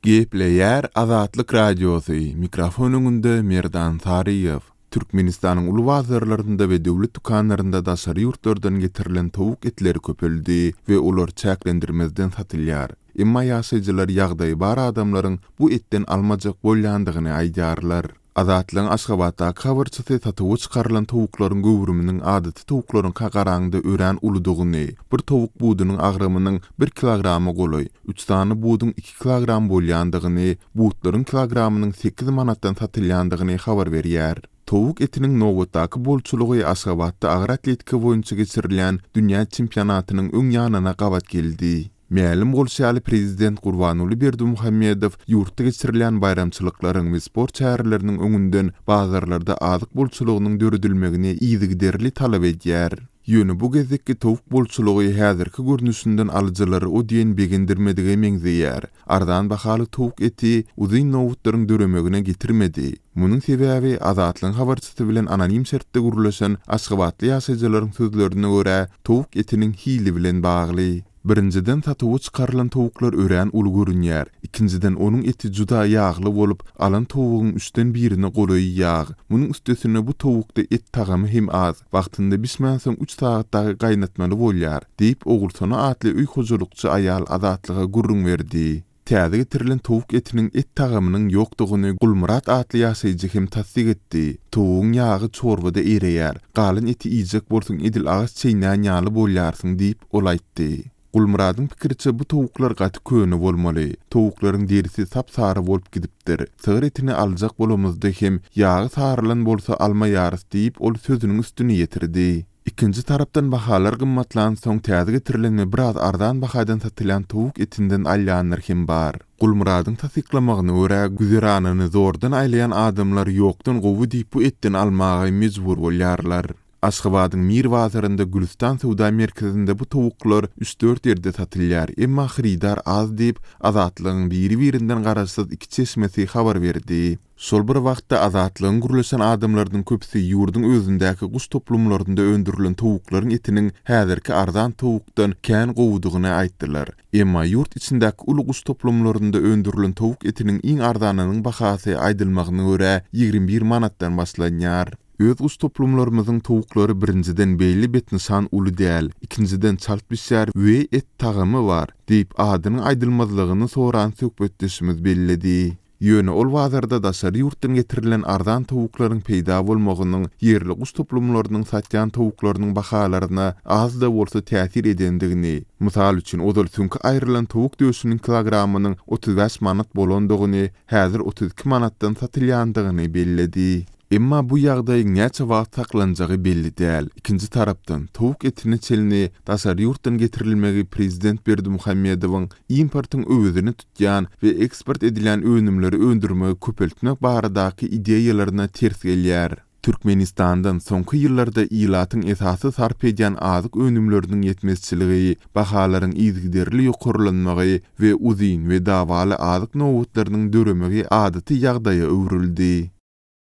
Gepleýär Azatlyk Radiosy, mikrofon öňünde Merdan Saryýew. Türkmenistanyň uly bazarlarynda we döwlet dükanlarynda daşary ýurtlardan getirilen towuk etleri köpeldi we olar çäklendirmezden satylýar. Emma ýaşaýjylar ýagdaýy bar adamlaryň bu etden almajak bolýandygyny aýdýarlar. Azatlygyň Aşgabatdaky habarçysy satuwa çykarylan towuklaryň göwrüminiň adaty towuklaryňka garaňda örän uludygyny, bir towuk budunyň agramynyň bir kilograma golaý, üç sany buduň iki kilogram bolýandygyny, butlaryň kilogramynyň sekiz manatdan satylýandygyny habar berýär. Towuk etiniň nobatdaky bolçulygy Aşgabatda agyr atletika boýunça geçirilýän dünýä çempionatynyň öň ýanyna gabat geldi. Mälim bolşy ýaly, prezident Gurbanguly Berdimuhamedow ýurtda geçirilýän baýramçylyklaryň we sport çäreleriniň öňünden bazarlarda azyk bolçulygynyň döredilmegini yzygiderli talap edýär. Ýöne bu gezekki towuk bolçulygy häzirki görnüşinden alyjylary o diýen begendirmedige meňzeýär. Arzan bahaly towuk eti uzyn nobatlaryň döremegine getirmedi. Munuň sebäbi, Azatlygyň habarçysy bilen anonim şertde gürleşen aşgabatly ýaşaýjylaryň sözlerine görä, towuk etiniň hili bilen bagly. Birinjiden satuwa çykarylan towuklar örän uly görünýär. Ikinjiden onuň eti juda ýagly bolup, alan towugyň üçden birine golaýy ýag. Munuň üstesine bu towukda et tagamy hem az. Wagtynda bişmänsoň üç sagat dagy gaýnatmaly bolýar, diýip, Ogulsona atly öý hojalykçy aýal Azatlyga gürrüň berdi. Täze getirilen towuk etiniň et tagamynyň ýokdugyny Gulmyrat atly ýaşaýjy hem tassyk etdi. Towugyň ýagy çorbada ereýär. Galan eti iýjek bolsaň edil agaç çeýnän ýaly bolýarsyň diýip, ol aýtdy. Gulmyradyň pikiriçe bu towuklar gaty köne bolmaly. Towuklaryň derisi sap-sary bolup gidipdir. Sygyr etini aljak bolamyzda hem ýagy sarylan bolsa almaýarys diýip, ol sözüniň üstüni ýetirdi. Ikinji tarapdan bahalar gymmatlansoň täze getirilen we biraz arzan bahadan satylýan towuk etinden alýanlar hem bar. Gulmyradyň tassyklamagyna görä, güzeranyny zordan aýlaýan adamlar ýokdan gowy diýip bu etden almaga mejbur bolýarlar. Aşgabadyň Mir bazarynda Gülüstan söwda merkezinde bu towuklar üç-dört ýerde satylýar, emma hyrydar az diýip, Azatlygyň biri-birinden garaşsyz iki çeşmesi habar berdi. Şol bir wagtda, Azatlygyň gürleşen adamlarynyň köpüsi ýurduň özündäki guş toplumlarynda öndürilen towuklaryň etiniň häzirki arzan towukdan kän gowudygyny aýtdylar. Emma ýurt içindäki uly guş toplumlarynda öndürilen towuk etiniň iň arzanynyň bahasy, aýdylmagyna görä, 21 manatdan başlanýar. Öz guş toplumlarymyzyň towuklary birinjiden beýle betnyşan uly däl, ikinjiden çalt bişýär we et tagamy bar, diýip, adynyň aýdylmazlygyny soran söhbetdeşimiz belledi. Ýöne ol bazarda daşary ýurtdan getirilen arzan towuklaryň peýda bolmagynyň ýerli guş toplumlarynyň satýan towuklarynyň bahalaryna az-da bolsa täsir edendigini, mysal üçin, ozal süňki aýrylan towuk döşüniň kilogramynyň 35 manat bolandygyny, häzir 32 manatdan satylýandygyny belledi. Emma bu ýagdaýyň näçe wagt saklanjagy belli däl. Ikinji tarapdan, towuk etine çenli daşary ýurtdan getirilmegi prezident Berdimuhamedowyň importyň öwezini tutýan we eksport edilýän önümleri öndürmegi köpeltmek baradaky ideýalaryna ters gelýär. Türkmenistandan soňky ýyllarda ilatyň esasy sarp edýän azyk önümleriniň ýetmezçiligi, bahalaryň yzygiderli ýokarlanmagy we uzyn we dawaly azyk nobatlarynyň döremegi adaty ýagdaýa öwrüldi.